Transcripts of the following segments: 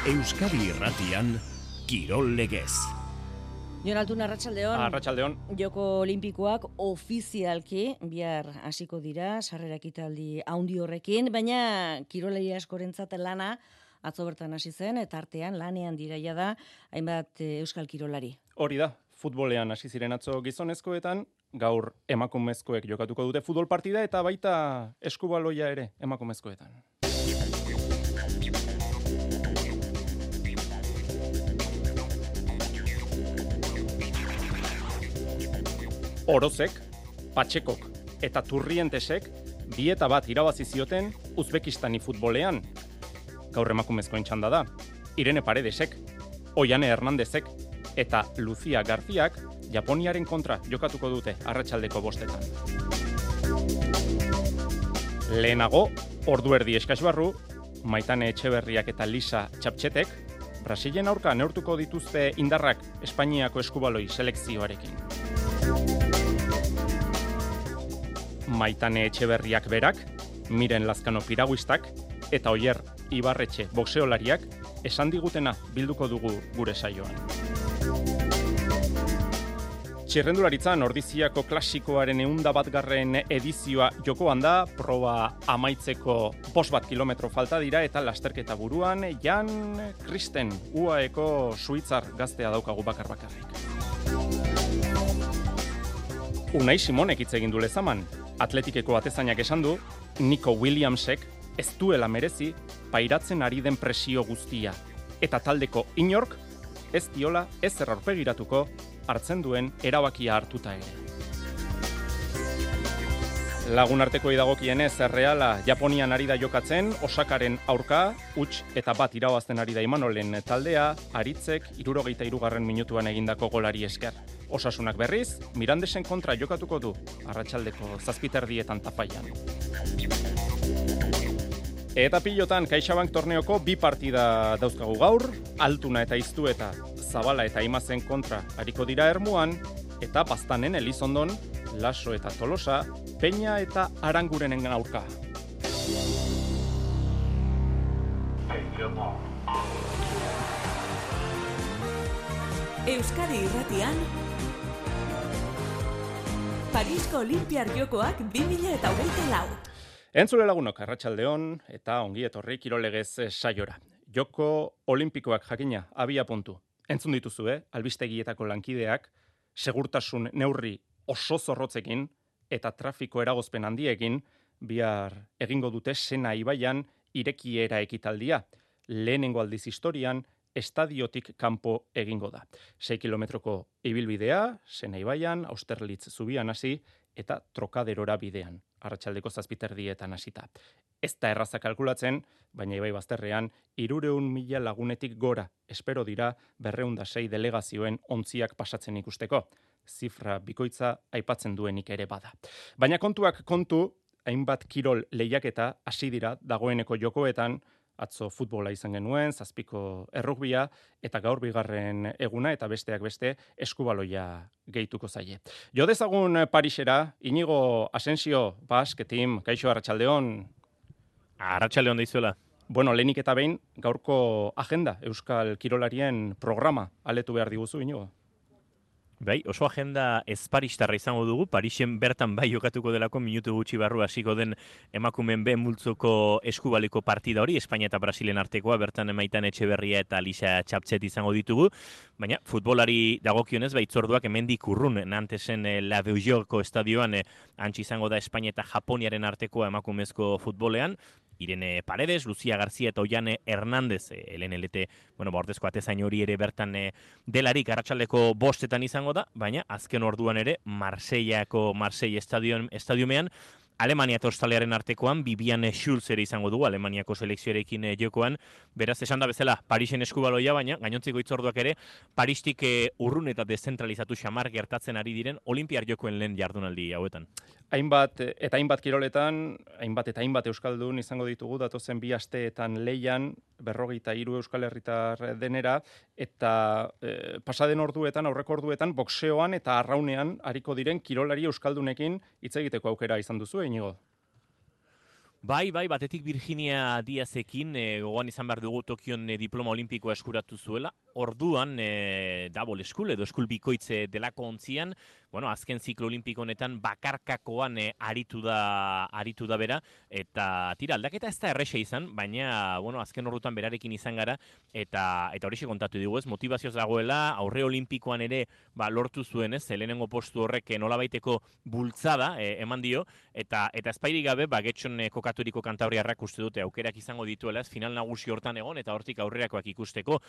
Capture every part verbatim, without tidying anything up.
Euskadi Irratian, Kirol Legez. Jon Altuna, arratsaldeon. Arratsaldeon. Joko Olimpikoak ofizialki bihar hasiko dira, sarrera ekitaldi handi horrekin, baina kirolari askorentzat lana atzo bertan hasi zen, eta artean lanean diraia da hainbat euskal kirolari. Hori da, futbolean hasi ziren atzo gizonezkoetan, gaur emakumezkoek jokatuko dute futbol partida eta baita eskubaloia ere emakumezkoetan. Orozek, Patxekok eta Turrientesek bi eta bat irabazi zioten Uzbekistani futbolean. Gaur emakumezkoen txanda da. Irene Paredesek, Oiane Hernandezek eta Lucia Garziak Japoniaren kontra jokatuko dute arratsaldeko bostetan. Lehenago, ordu erdi eskas barru, Maitane Etxeberriak eta Lisa Txaptxetek Brasilen aurka neurtuko dituzte indarrak Espainiako eskubaloi selekzioarekin. Maitane Etxeberriak berak, Miren Lazkano piraguistak eta Oier Ibarretxe boxeolariak esan digutena bilduko dugu gure saioan. Txirrendularitzan Ordiziako klasikoaren ehunda batgarren edizioa jokoan da, proba amaitzeko bost bat kilometro falta dira eta lasterketa buruan Jan Kristen U A Eko suitzar gaztea daukagu bakar bakarrik. Unai Simonek hitz egin du lezaman. Atletikeko atezainak esan du, Nico Williamsek ez duela merezi pairatzen ari den presio guztia. Eta taldeko inork ez diola ez aurpegiratuko hartzen duen erabakia hartuta ere. Lagun arteko idagokienez, Erreala Japonian ari da jokatzen, Osakaren aurka, huts eta bat irabazten ari da Imanolen taldea, Aritzek hirurogeita hirugarren minutuan egindako golari esker. Osasunak berriz, Mirandesen kontra jokatuko du, arratsaldeko zazpiterdietan Tafaian. Eta pilotan, CaixaBank torneoko bi partida dauzkagu gaur, Altuna eta Iztueta, Zabala eta Imazen kontra ariko dira Ermuan, eta Baztanen Elizondon, Laso eta Tolosa, Peña eta Arangurenen aurka. Euskadi Irratian, Parisko Olimpiar Jokoak bi mila hogeita lau. Entzule lagunok, arratsaldeon eta ongi etorri Kirol Legez saiora. Joko Olimpikoak jakina, abia puntu. Entzun dituzue, albistegietako lankideak, segurtasun neurri oso zorrotzekin eta trafiko eragozpen handiekin bihar egingo dute Sena ibaian irekiera ekitaldia. Lehenengo aldiz historian estadiotik kanpo egingo da. sei kilometroko ibilbidea, Sena ibaian, Austerlitz zubian hasi eta Trokaderora bidean, arratsaldeko zazpiterdietan hasita. Ez da erraza kalkulatzen, baina ibai bazterrean hirurehun mila lagunetik gora espero dira berrehun eta sei delegazioen ontziak pasatzen ikusteko. Zifra bikoitza aipatzen duenik ere bada. Baina kontuak kontu, hainbat kirol lehiaketa hasi dira dagoeneko jokoetan, atzo futbola izan genuen, zazpiko errugbia, eta gaur bigarren eguna eta besteak beste eskubaloia gehituko zaie. Jo dezagun Parisera, Inigo Asensio, Basque Team, kaixo arratsaldeon. Arratsaldeon deizuela. Bueno, lehenik eta behin, gaurko agenda, Euskal Kirolarien programa aletu behar diguzu, Inigo? Bai, oso agenda ez paristarra izango dugu, Parisen bertan bai jokatuko delako minutu gutxi barru hasiko den emakumeen B multzoko eskubaliko partida hori, Espainia eta Brasilen artekoa, bertan Maitane Etxeberria eta Lisa Txaptxet izango ditugu, baina futbolari dagokionez baitzorduak hemendik urrun, Nantesen La Beaujorko estadioan antzi izango da Espainia eta Japoniaren artekoa emakumezko futbolean, Irene Paredes, Lucia García eta Oiane Hernandez, L N L T, bueno, bordezko atezain hori ere bertan e, delarik arratsaldeko bostetan izango da, baina azken orduan ere Marseillako Marseille estadion, estadiumean Alemania eta Australiaren artekoan Bibian Schulz ere izango dugu Alemaniako selekzioarekin e, jokoan, beraz esan da bezala Parisen eskubaloia, baina gainontzeko hitzorduak ere Paristik e, urrun eta dezentralizatu xamar gertatzen ari diren Olimpiar jokoen lehen jardunaldi hauetan. Hainbat eta hainbat kiroletan, hainbat eta hainbat euskaldun izango ditugu datozen bi asteetan leian, berrogeita hiru euskal herritar denera, eta e, pasaden orduetan, aurreko orduetan, boxeoan eta arraunean ariko diren kirolari euskaldunekin hitz egiteko aukera izan duzu, Inigo? Bai, bai, batetik Virginia Diazekin, e, gogoan izan behar dugu Tokion e, diploma olimpikoa eskuratu zuela, orduan e, double school edo eskul bikoitze delako ontzian, bueno, azken ziklo olimpiko honetan bakarkakoan e, aritu da aritu da bera, eta tira, aldaketa ez da erresa izan, baina, bueno, azken ordutan berarekin izan gara, eta eta horixe kontatu dugu, ez, motivazioz dagoela, aurre olimpikoan ere, ba, lortu zuen, ez, lehenengo postu horrek nolabaiteko bultzada e, eman dio, eta eta espairik gabe, ba, getxon e, kokaturiko kantabriarrak uste dute aukerak izango dituela, ez, final nagusi hortan egon, eta hortik aurrerakoak ikusteko,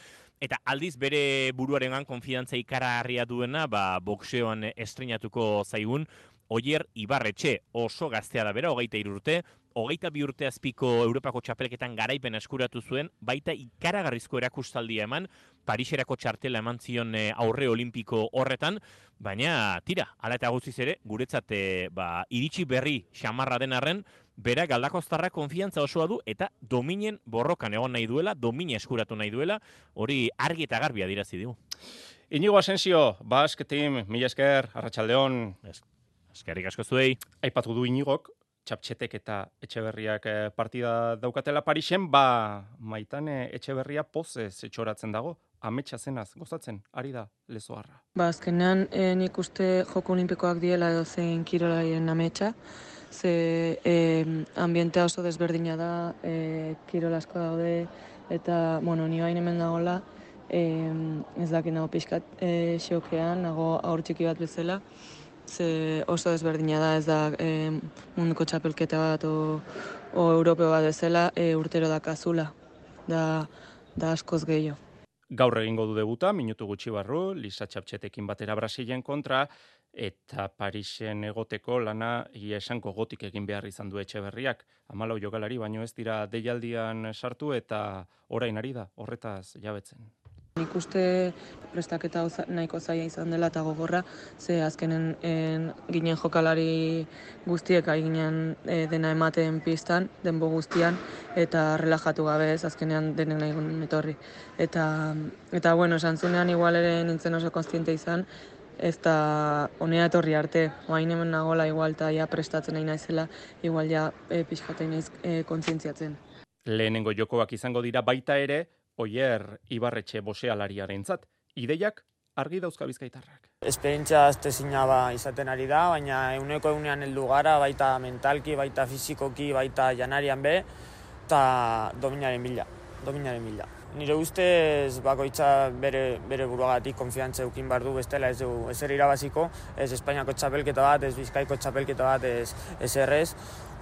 eta aldiz bere buruarengan konfidantza ikaragarria duena, ba, boxeoan estrenatuko zaigun, Oier Ibarretxe, oso gaztea da bera, hogeita hiru urte, hogeita bi urte azpiko Europako txapelketan garaipen eskuratu zuen, baita ikaragarrizko erakustaldia eman, Pariserako txartela eman zion e, aurre olimpiko horretan, baina tira, hala eta guztiz ere, guretzat e, ba, iritsi berri xamarra den arren, berak Galdakoztarra konfiantza osoa du eta dominen borrokan egon nahi duela, domina eskuratu nahi duela, hori argi eta garbi adierazi digu. Inigo Asensio, Basque Team, mila esker, arratsaldeon. Eskerrik asko zuei. Aipatu du Inigok, Txaptxetek eta Etxeberriak partida daukatela Parisen, ba Maitane Etxeberria pozez etxoratzen dago, ametsa zenaz gozatzen, ari da lezoarra. Ba, azkenean eh, nik uste joko olimpikoak diela edo zein kirolaien ametsa, ze eh, ambientea oso desberdina da, eh, kirol asko daude, eta, bueno, ni bain hemen dagoela, eh, ez dakit nago pixkat eh, xokean, nago aur txiki bat bezala, ze oso desberdina da, ez da eh, munduko txapelketa bat o, o europeo bat bezala, eh, urtero dakazula, da, da askoz gehiago. Gaur egingo du debuta, minutu gutxi barru, Lisa Txaptxetekin batera Brasilen kontra, eta Parisen egoteko lana ia esanko gotik egin behar izan du Etxeberriak. Hamalau jokalari, baino ez dira deialdian sartu eta orain ari da, horretaz jabetzen. Nik uste prestaketa nahiko zaila izan dela eta gogorra, ze azkenen en, ginen jokalari guztiek ginen e, dena ematen pistan, denbo guztian, eta relajatu gabe ez, azkenean denek nahi gunen etorri. Eta, eta bueno, esan zunean igual ere nintzen oso konstiente izan, ez da honea etorri arte, oain hemen nagola igual eta ja prestatzen nahi naizela, igual ja e, pixkatein naiz e, kontzientziatzen. Lehenengo jokoak izango dira baita ere, Oier Ibarretxe boxealariarentzat, ideiak argi dauzka bizkaitarrak. Esperientzia aztezina ba izaten ari da, baina eguneko egunean heldu gara, baita mentalki, baita fizikoki, baita janarian be, eta dominaren bila, dominaren bila. Nire ustez bakoitza bere, bere buruagatik konfiantza eukin behar du, bestela ez du ezer irabaziko, ez Espainiako txapelketa bat, ez Bizkaiko txapelketa bat, ez, ez errez.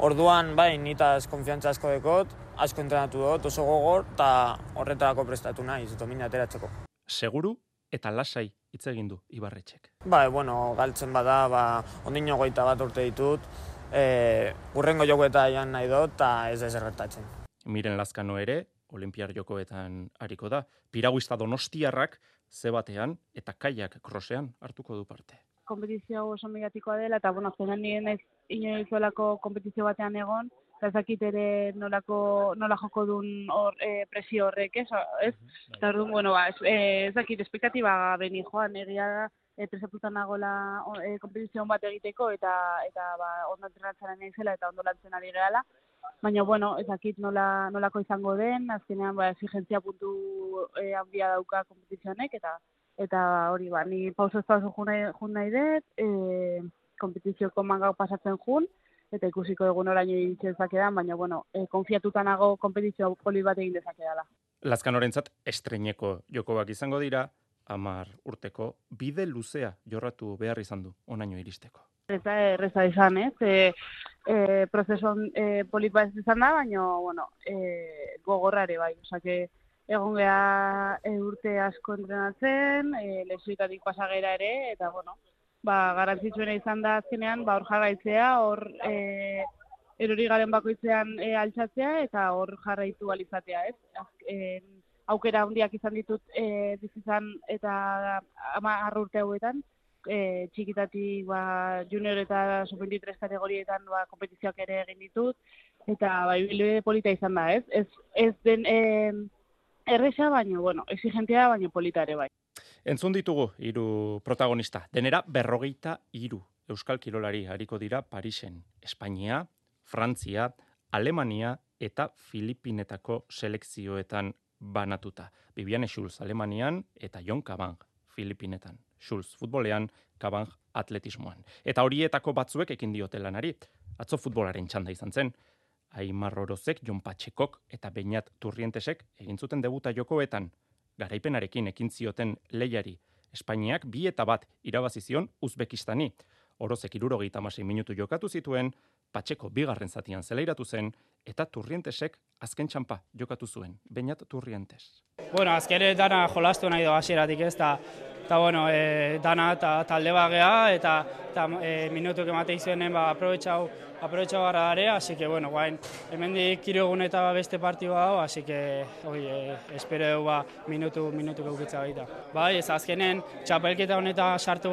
Orduan, bai, nitaz konfiantza asko dekot, asko entrenatu dut, oso gogor, eta horretarako prestatu naiz, domina ateratzeko. Seguru eta lasai hitz egin du Ibarretxek. Bai, bueno, galtzen bada, ba, ondino goita bat urte ditut, e, urrengo jokoeta joan nahi dut, eta ez ez erretatzen. Miren Lazkano ere, Olimpiar jokoetan hariko da. Piraguista donostiarrak ze batean eta kaiak krosean hartuko du parte. Kompetizio oso mediatikoa dela, eta bueno, zenan nire naiz inoizuelako kompetizio batean egon, eta ezakit ere nolako, nola joko duen hor, e, presio horrek, ez? ez? Eta orduan, bueno, ba, ezakit espektatiba beni joan, egia da, e, presatutan nagola e, kompetizio bat egiteko, eta eta ba, ondo entrenatzen nahi zela, eta ondo lantzen ari gehala. Baina, bueno, ezakit nola, nolako izango den, azkenean ba, exigentzia puntu e, handia dauka kompetizionek, eta eta hori ba, ni pauso ez pauso jun nahi, jun nahi dut, e, kompetizioko mangau pasatzen jun, eta ikusiko egun oraino iritsi dezakedan, baina, bueno, e, konfiatuta nago kompetizio poli bat egin dezakedala. Lazkanorentzat estreineko jokoak izango dira, hamar urteko bide luzea jorratu behar izan du onaino iristeko. Ez da erreza izan, ez? E, e, prozesuan e, polit bat izan da, baina, bueno, e, gogorrare bai. Osake, egon geha e, urte asko entrenatzen, e, lesioetatik pasagera ere, eta, bueno, ba, garantzitsuena izan da azkenean, ba, hor jarraitzea, hor e, erori garen bakoitzean e, altxatzea, eta hor jarraitu alizatea, ez? E, aukera handiak izan ditut e, bizizan eta hamar urte hauetan, E, txikitatik ba, junior eta sub veintitrés kategorietan ba, kompetizioak ere egin ditut, eta ba, ibilbide polita izan da, ez? Ez, ez den e, erresa, baino, bueno, exigentia, baino polita ere bai. Entzun ditugu hiru protagonista, denera berrogeita hiru euskal kirolari hariko dira Parisen, Espainia, Frantzia, Alemania eta Filipinetako selekzioetan banatuta. Viviane Schulz Alemanian eta Jon Kabang Filipinetan. Schulz futbolean, Kabang atletismoan. Eta horietako batzuek ekin diote lanari. Atzo futbolaren txanda izan zen. Aimar Orozek, Jon Patxekok eta Beñat Turrientesek egin zuten debuta jokoetan. Garaipenarekin ekin zioten lehiari. Espainiak bi eta bat irabazi zion Uzbekistani. Orozek hirurogeita hamasei minutu jokatu zituen, Patxeko bigarren zatian zelairatu zen, eta Turrientesek azken txanpa jokatu zuen. Beñat Turrientes. Bueno, azkere dana jolastu nahi do hasieratik ez, eta eta bueno, e, dana eta talde bagea, eta, eta e, minutuk emate izuenen ba, aprobetxau, aprobetxau gara dare, así que bueno, guain, hemendik hiru egun eta beste partidua hau, así que, oi, e, espero du ba, minutu, minutu gaukitza baita. Bai, ez azkenen, txapelketa honetan sartu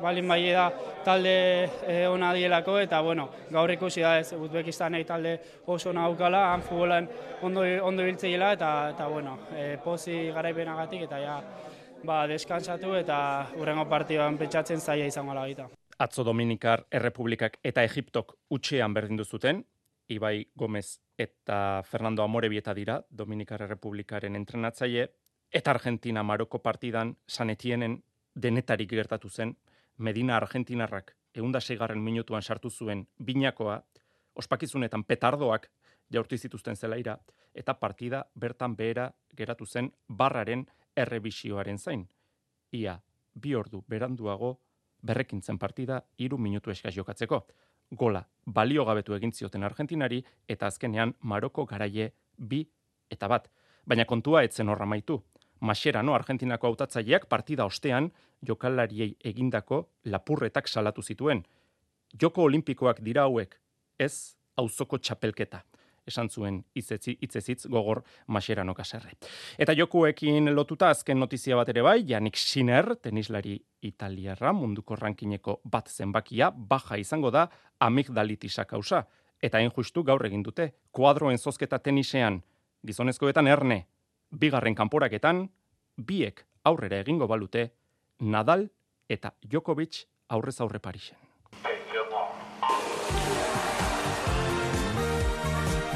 balin bai da talde e, ona dielako, eta bueno, gaur ikusi da ez, Uzbekistanei talde oso ona daukala, han futbolan ondo, ondo biltzeiela, eta, eta bueno, e, pozi garaipenagatik, eta ja, ba, deskansatu eta hurrengo partidoan pentsatzen zaila izango la baita. Atzo Dominikar Errepublikak eta Egiptok utxean berdindu zuten, Ibai Gomez eta Fernando Amorebieta dira, Dominikar Errepublikaren entrenatzaile, eta Argentina Maroko partidan San Etienen denetarik gertatu zen, Medina Argentinarrak ehun seigarren minutuan sartu zuen binakoa, ospakizunetan petardoak jaurti zituzten zelaira, eta partida bertan behera geratu zen barraren errebisioaren zain. Ia, bi ordu beranduago berrekintzen partida hiru minutu eskaz jokatzeko. Gola baliogabetu egin zioten Argentinari eta azkenean Maroko garaie bi eta bat. Baina kontua etzen horra maitu. Mascherano Argentinako hautatzaileak partida ostean jokalariei egindako lapurretak salatu zituen. Joko olimpikoak dira hauek, ez auzoko txapelketa. Esan zuen hitzezitz gogor Mascherano kaserre. Eta jokuekin lotuta azken notizia bat ere bai, Yannick Sinner, tenislari italiarra, munduko rankineko bat zenbakia, baja izango da amigdalitisa kausa. Eta hain justu gaur egin dute, kuadroen zozketa tenisean, gizonezkoetan erne, bigarren kanporaketan, biek aurrera egingo balute, Nadal eta Djokovic aurrez aurre Parisen.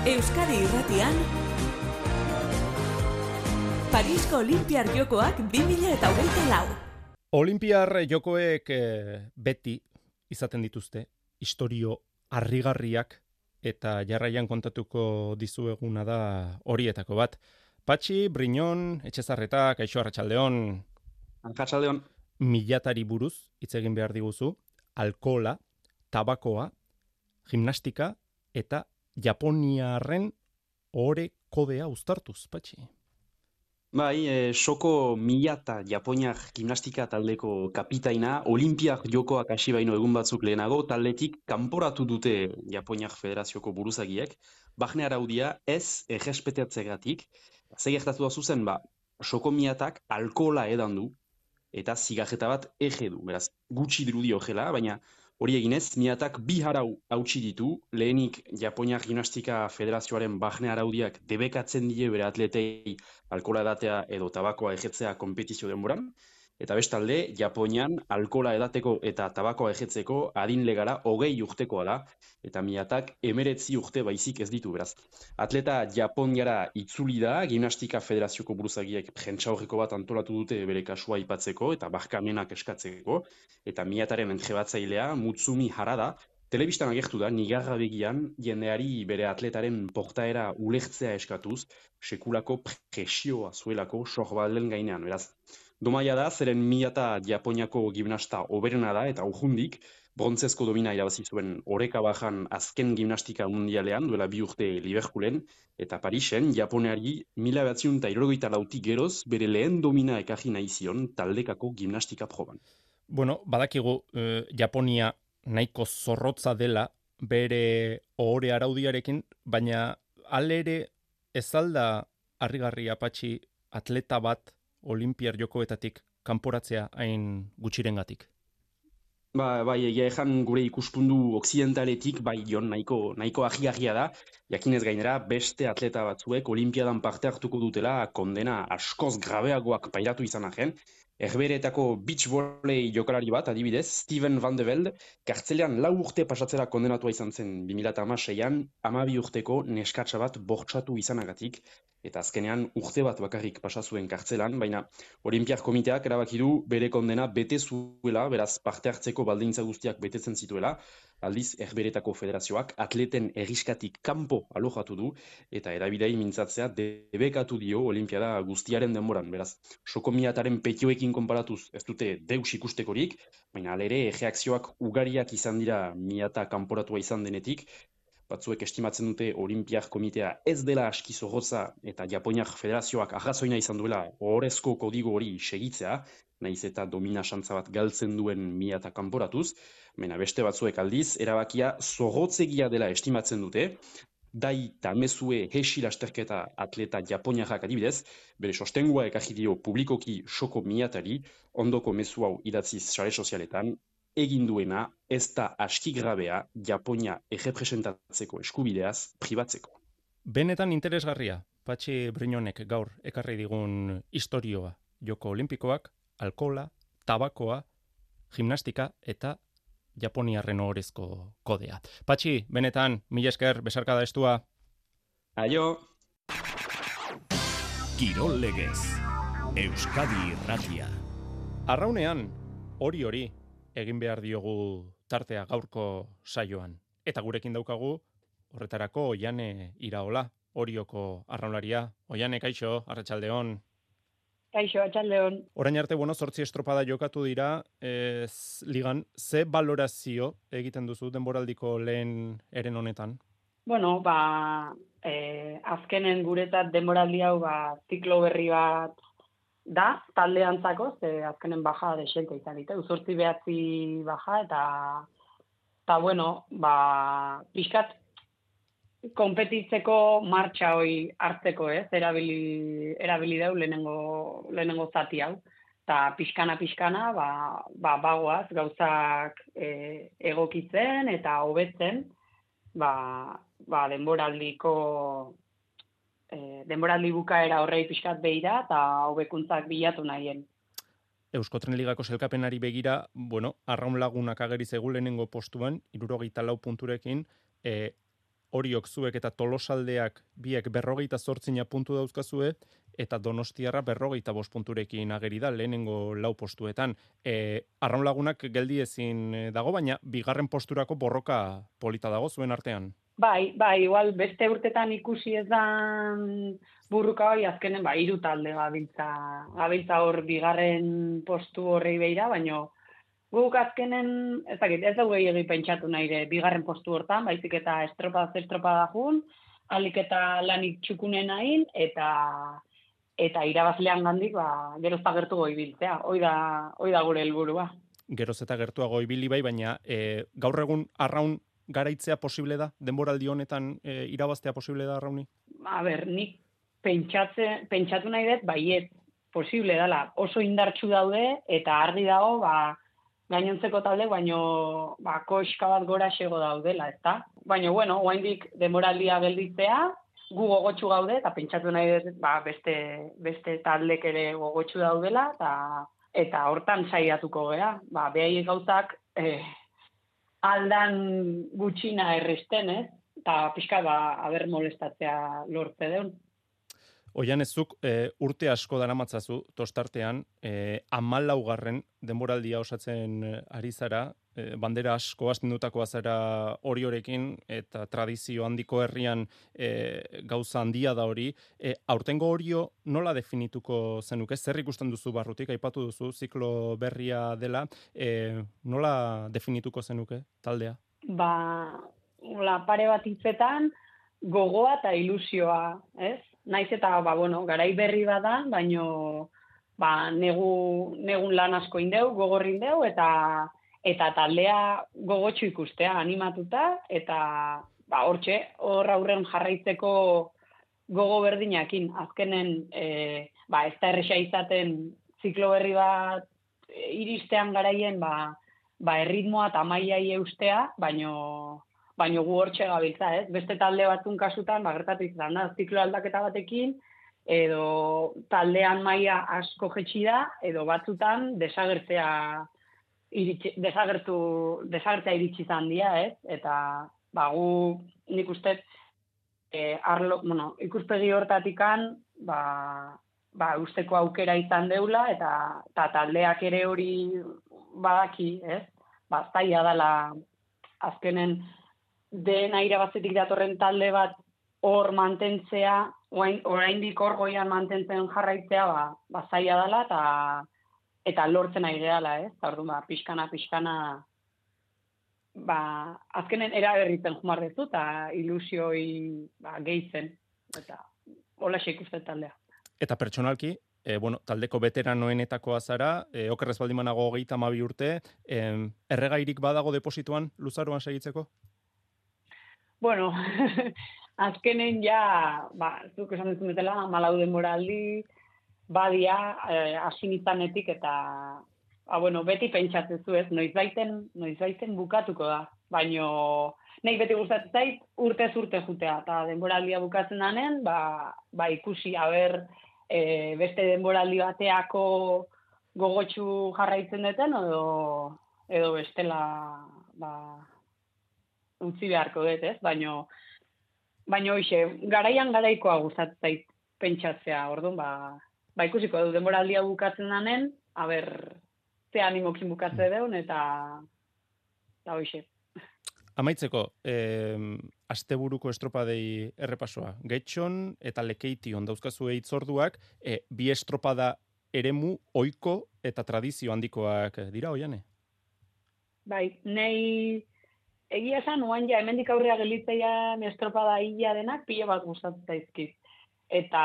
Euskadi irratian, Parisko Olimpiar Jokoak bi mila hogeita lau. Olimpiar jokoek e, beti izaten dituzte, istorio harrigarriak eta jarraian kontatuko dizueguna da horietako bat. Patxi, Briñon, Etxezarreta, Kaixo Arratsaldeon. Arratsaldeon. Milatari buruz hitz egin behar diguzu, alkohola, tabakoa, gimnastika eta Japoniarren ore kodea uztartuz, Patxi. Bai, e, soko milata Japoniar gimnastika taldeko kapitaina, Olimpiar jokoak hasi baino egun batzuk lehenago, taldetik kanporatu dute Japoniar Federazioko buruzagiek, barne araudia ez errespetatzegatik, ze gertatu da zuzen, ba, soko milatak alkohola edan du, eta zigarreta bat ege du, beraz, gutxi dirudi horrela, baina hori eginez, miatak bi harau hautsi ditu, lehenik Japoniar Gimnastika Federazioaren barne araudiak debekatzen die bere atletei alkohola edatea edo tabakoa ejetzea konpetizio denboran, eta bestalde, Japonian alkohola edateko eta tabakoa ejetzeko adin legala hogei urtekoa da, eta miatak emeretzi urte baizik ez ditu, beraz. Atleta Japoniara itzuli da, Gimnastika Federazioko buruzagiek prentsaurreko bat antolatu dute bere kasua aipatzeko eta barkamenak eskatzeko, eta miataren entrebatzailea Mutsumi Harada, telebistan agertu da, nigarra begian, jendeari bere atletaren portaera ulertzea eskatuz, sekulako presioa zuelako sorbalen gainean, beraz. Domaia da, zeren miata Japoniako gimnasta oberena da, eta urjundik, brontzezko domina irabazi zuen oreka bajan azken gimnastika mundialean, duela bi urte Liverpoolen, eta Parisen, Japoniari mila batziun eta hirurogeita lautik geroz, bere lehen domina ekarri nahi zion taldekako gimnastika proban. Bueno, badakigu, eh, Japonia nahiko zorrotza dela bere ohore araudiarekin, baina alere ez alda harrigarria, Patxi, atleta bat Olimpiar jokoetatik kanporatzea hain gutxirengatik. Ba, bai, egia ezan gure ikuspundu okzidentaletik, bai, jon, nahiko, nahiko ahiagia da, jakinez gainera, beste atleta batzuek Olimpiadan parte hartuko dutela kondena askoz grabeagoak pairatu izan arren, Herberetako beach volley jokalari bat, adibidez, Steven Van de Velde, kartzelean lau urte pasatzera kondenatua izan zen bi mila hamaseian, hamabi urteko neskatsa bat bortxatu izanagatik, eta azkenean urte bat bakarrik pasazuen kartzelan, baina Olimpiar Komiteak erabaki du bere kondena bete zuela, beraz parte hartzeko baldintza guztiak betetzen zituela, aldiz Herberetako Federazioak atleten erriskatik kanpo alojatu du, eta erabidei mintzatzea debekatu dio Olimpiada guztiaren denboran, beraz, soko miataren petioekin konparatuz ez dute deus ikustekorik, baina alere reakzioak ugariak izan dira miata kanporatua izan denetik, batzuek estimatzen dute Olimpiar Komitea ez dela aski zorrotza eta Japoniar Federazioak arrazoina izan duela ohorezko kodigo hori segitzea, nahiz eta domina xantza bat galtzen duen miata kanporatuz, baina beste batzuek aldiz, erabakia zorrotzegia dela estimatzen dute, Dai Tamezue Heshi lasterketa atleta japoniarrak adibidez, bere sostengua ekarri dio publikoki soko miatari, ondoko mezu hau idatziz sare sozialetan, egin duena ez da aski grabea Japonia errepresentatzeko eskubideaz pribatzeko. Benetan interesgarria, Patxi Brinonek gaur ekarri digun istorioa, Joko Olimpikoak, alkohola, tabakoa, gimnastika eta Japoniarren ohorezko kodea. Patxi, benetan, mila esker, besarkada estua. Aio! Kirol legez, Euskadi Irratia. Arraunean, hori hori, egin behar diogu tartea gaurko saioan. Eta gurekin daukagu, horretarako Oiane Iraola, Orioko arraunlaria. Oiane, kaixo, arratsaldeon. Kaixo, arratsaldeon. Orain arte, bueno, zortzi estropada jokatu dira, ez, ligan, ze balorazio egiten duzu denboraldiko lehen eren honetan? Bueno, ba, eh, azkenen guretzat denboraldi hau, ba, ziklo berri bat da, taldeantzako, ze azkenen baja desente izan dite, uzortzi behatzi baja, eta, eta bueno, ba, pixkat, konpetitzeko martxa hoi hartzeko, ez, erabili, erabili dau lehenengo, lehenengo zati hau. Eta pixkana-pixkana, ba, ba, bagoaz, gauzak e, egokitzen eta hobetzen, ba, ba, denboraldiko, e, denboraldi bukaera horrei pixkat behira eta hobekuntzak bilatu nahien. Euskotren Ligako selkapenari begira, bueno, arraun lagunak ageri zegu lehenengo postuan, hirurogeita lau punturekin, e, Oriok zuek eta Tolosaldeak biek berrogeita zortzina puntu dauzkazue, eta Donostiarra berrogeita bost punturekin ageri da lehenengo lau postuetan. E, arraun lagunak geldi ezin dago, baina bigarren posturako borroka polita dago zuen artean. Bai, bai, igual beste urtetan ikusi ez dan burruka hori azkenen, ba, hiru talde gabiltza, gabiltza hor bigarren postu horrei beira, baino guk azkenen, ez dakit, ez dugu egin pentsatu nahi bigarren postu hortan, baizik eta estropada estropada jun, alik eta lanik txukunen nahin, eta eta irabazlean gandik, ba, geroz eta gertuago ibiltzea. Hoi da, hoi da gure helburua. Geroz eta gertuago ibili bai, baina e, gaur egun arraun garaitzea posible da? Denboraldi honetan e, irabaztea posible da arrauni? A ber, nik pentsatze, pentsatu nahi dut, baiet, posible dela. Oso indartsu daude, eta argi dago, ba, gainontzeko talde, baino ba, koska bat gora xego daudela, ezta? Baina, bueno, oraindik denboraldia gelditzea, gu gogotsu gaude, eta pentsatu nahi dut, ba, beste, beste taldek ere gogotsu daudela, eta, eta hortan saiatuko gera. Ba, behai gauzak eh, aldan gutxina erresten, ez? Eta pixka, ba, haber molestatzea lortze deun. Oian ezuk e, urte asko daramatzazu tostartean, e, hamalaugarren denboraldia osatzen ari zara, e, bandera asko astindutakoa zara hori horekin, eta tradizio handiko herrian e, gauza handia da hori. E, aurtengo horio nola definituko zenuke? Zer ikusten duzu barrutik, aipatu duzu, ziklo berria dela, e, nola definituko zenuke taldea? Ba, la pare bat hitzetan, gogoa eta ilusioa, ez? Naiz eta, ba, bueno, garai berri bada, baino, ba, negu, negun lan asko indeu, gogorri indeu, eta, eta taldea gogotxu ikustea, animatuta, eta, ba, hortxe, hor aurren jarraitzeko gogo berdinakin. Azkenen, e, ba, ez da erresa izaten ziklo berri bat e, iristean garaien, ba, ba, erritmoa eta mailai eustea, baino, baino gu hortxe gabiltza, ez? Beste talde batzun kasutan, ba, gertatu izan da, ziklo aldaketa batekin, edo taldean maila asko jetxi da, edo batzutan desagertzea iritsi, desagertu, desagertzea iritsi izan dira, ez? Eta ba, gu nik uste e, arlo, bueno, ikuspegi hortatikan, ba, ba, usteko aukera izan deula, eta, eta taldeak ere hori badaki, ez? Ba, zaila dela azkenen den irabazetik datorren talde bat hor mantentzea, oraindik hor goian mantentzen jarraitzea, ba, ba zaila dela, eta eta lortzen ari gehala, ez? Eta orduan, ba, pixkana, pixkana, ba, azkenen eraberritzen jumar dezu, eta ilusioi ba, gehitzen, eta hola ikusten taldea. Eta pertsonalki, e, bueno, taldeko veteranoenetakoa zara, e, okerrez baldimanago hogeita hamabi urte, e, erregairik badago deposituan luzaroan segitzeko? Bueno, azkenen ja, ba, zuk esan duzun betela, malau denboraldi, badia, eh, asinizanetik eta, ba, bueno, beti pentsatzen zu ez, noiz baiten, noiz baiten bukatuko da, baino, nahi beti gustatzen zait, urtez urte jutea, eta denboraldia bukatzen danen, ba, ba ikusi, haber, e, beste denboraldi bateako gogotsu jarraitzen duten, edo, edo bestela, ba, utzi beharko dut, ez? Baino, baino hoxe, garaian garaikoa gustatzen zait pentsatzea, orduan, ba, ba ikusiko du denboraldia bukatzen danen, haber, ze animokin bukatzen deun, eta, eta hoxe. Amaitzeko, eh, asteburuko estropadei errepasoa. Getxon eta Lekeition dauzkazu hitzorduak, eh, bi estropada eremu ohiko eta tradizio handikoak dira, Oiane? Bai, nei egia esan, oan ja, hemendik aurrea gelitzeian estropada hila denak, pila bat gustatzen zaizkit. Eta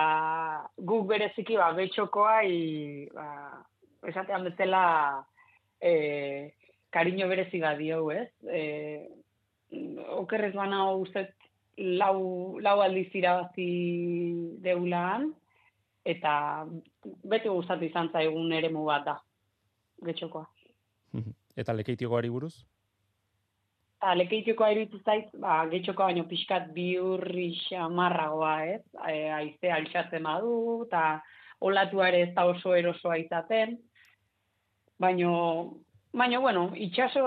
guk bereziki, ba, Getxokoa, i, ba, esatean bezala, e, kariño berezi bat dio, ez? E, okerrez bana uzet lau, lau aldiz irabazi deulaan, eta beti gustatu izan zaigun eremu bat da, Getxokoa. Eta Lekeitiokoari buruz? Eta Lekeitiokoa iruditu zait, ba, Getxokoa baino pixkat biurri xamarragoa, ez? E, Aizea altxatzen badu, eta olatua ere ez da oso erosoa izaten, baino, baino, bueno, itxaso,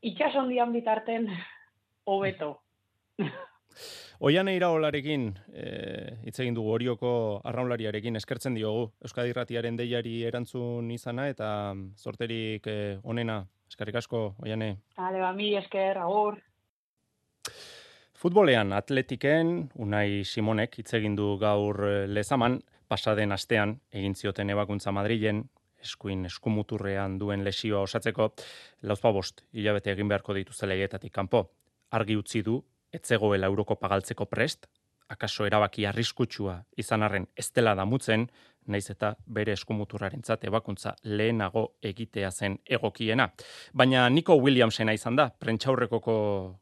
itxaso handian bitarten, hobeto. Oiane Iraolarekin, hitz egin dugu Orioko arraunlariarekin eskertzen diogu Euskadi Irratiaren deiari erantzun izana eta zorterik eh, onena. Eskerrik asko, Oiane. Hale, ba, mi esker, agur. Futbolean Atletiken Unai Simonek hitz egin du gaur Lezaman, pasaden astean egin zioten ebakuntza Madrilen, eskuin eskumuturrean duen lesioa osatzeko, lauzpabost hilabete egin beharko dituzte leietatik kanpo. Argi utzi du etzegoela Eurokopa galtzeko prest, akaso erabaki arriskutsua izan arren ez dela damutzen, naiz eta bere eskumuturrarentzat ebakuntza lehenago egitea zen egokiena. Baina Nico Williamsena izan da, prentsaurrekoko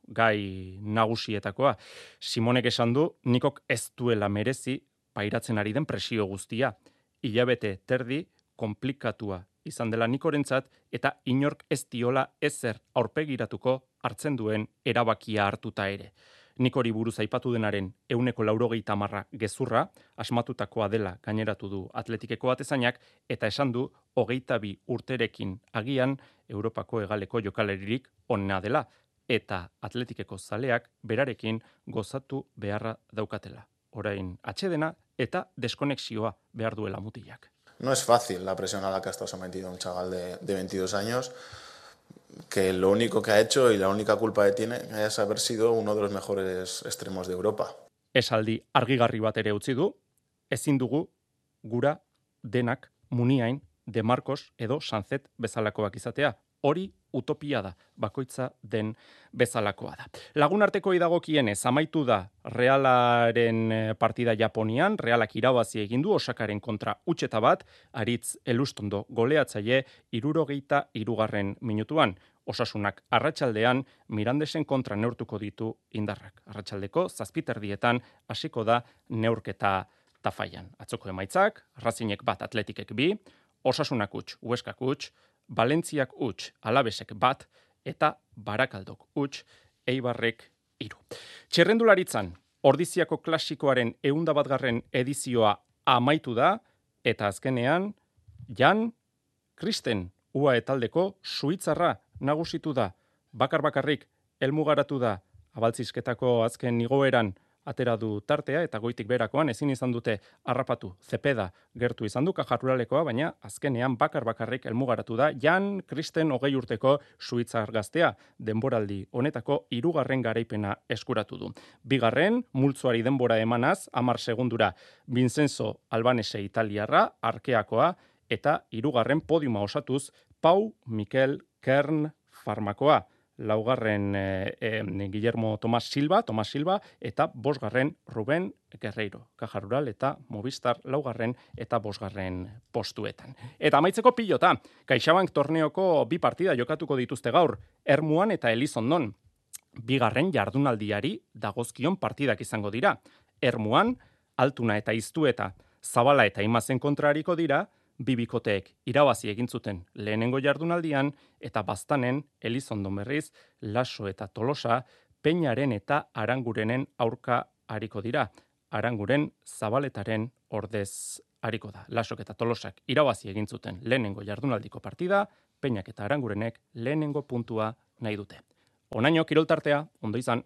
gai nagusietakoa. Simonek esan du, Nikok ez duela merezi pairatzen ari den presio guztia. Hilabete terdi konplikatua izan dela Nikorentzat eta inork ez diola ezer aurpegiratuko hartzen duen erabakia hartuta ere. Nikori buruz aipatu denaren ehuneko laurogeita hamarra gezurra, asmatutakoa dela gaineratu du Atletikeko atezainak, eta esan du hogeita bi urterekin agian Europako hegaleko jokaleririk onena dela, eta Atletikeko zaleak berarekin gozatu beharra daukatela. Orain atsedena eta deskonexioa behar duela mutilak. No es fácil la presión a la que ha estado sometido un chaval de, de veintidós años, que lo único que ha hecho y la única culpa que tiene es haber sido uno de los mejores extremos de Europa. Esaldi argigarri bat ere utzi du, ezin dugu gura denak Muniain, De Marcos edo Sanzet bezalakoak izatea. Hori utopia da, bakoitza den bezalakoa da. Lagunarteko idagokienez, amaitu da Realaren partida Japonian, Realak irabazi egin du Osakaren kontra utxeta bat, Aritz Elustondo goleatzaile hirurogeita hirugarren minutuan. Osasunak arratsaldean Mirandesen kontra neurtuko ditu indarrak. Arratsaldeko zazpiterdietan hasiko da neurketa Tafaian. Atzoko emaitzak, Razinek bat Atletikek bi, Osasunak huts, Hueskak huts, Valentziak huts, Alabesek bat, eta Barakaldok huts, Eibarrek hiru. Txerrendularitzan, Ordiziako klasikoaren ehun eta batgarren edizioa amaitu da, eta azkenean, Jan Kristen U A E taldeko suitzarra nagusitu da, bakar-bakarrik helmugaratu da, abaltzizketako azken igoeran atera du tartea, eta goitik berakoan ezin izan dute harrapatu, Zepeda gertu izan du Kajaruralekoa, baina azkenean bakar-bakarrik helmugaratu da Jan Kristen hogei urteko suitzar gaztea, denboraldi honetako hirugarren garaipena eskuratu du. Bigarren, multzoari denbora emanaz, hamar segundura Vincenzo Albanese italiarra, arkeakoa, eta hirugarren podiuma osatuz Pau Mikel Kern Farmakoa. Laugarren eh, eh, Guillermo Tomas Silva, Tomas Silva, eta bosgarren Ruben Guerreiro, Caja eta Movistar laugarren eta bosgarren postuetan. Eta amaitzeko pilota, CaixaBank torneoko bi partida jokatuko dituzte gaur, Ermuan eta Elizondon. Bigarren jardunaldiari dagozkion partidak izango dira. Ermuan, Altuna eta Iztueta, Zabala eta Imazen kontrariko dira, bibikoteek irabazi egin zuten lehenengo jardunaldian, eta Baztanen, Elizondon berriz, Laso eta Tolosa, Peñaren eta Arangurenen aurka hariko dira. Aranguren Zabaletaren ordez hariko da. Lasok eta Tolosak irabazi egin zuten lehenengo jardunaldiko partida, Peñak eta Arangurenek lehenengo puntua nahi dute. Onaino kiroltartea, ondo izan.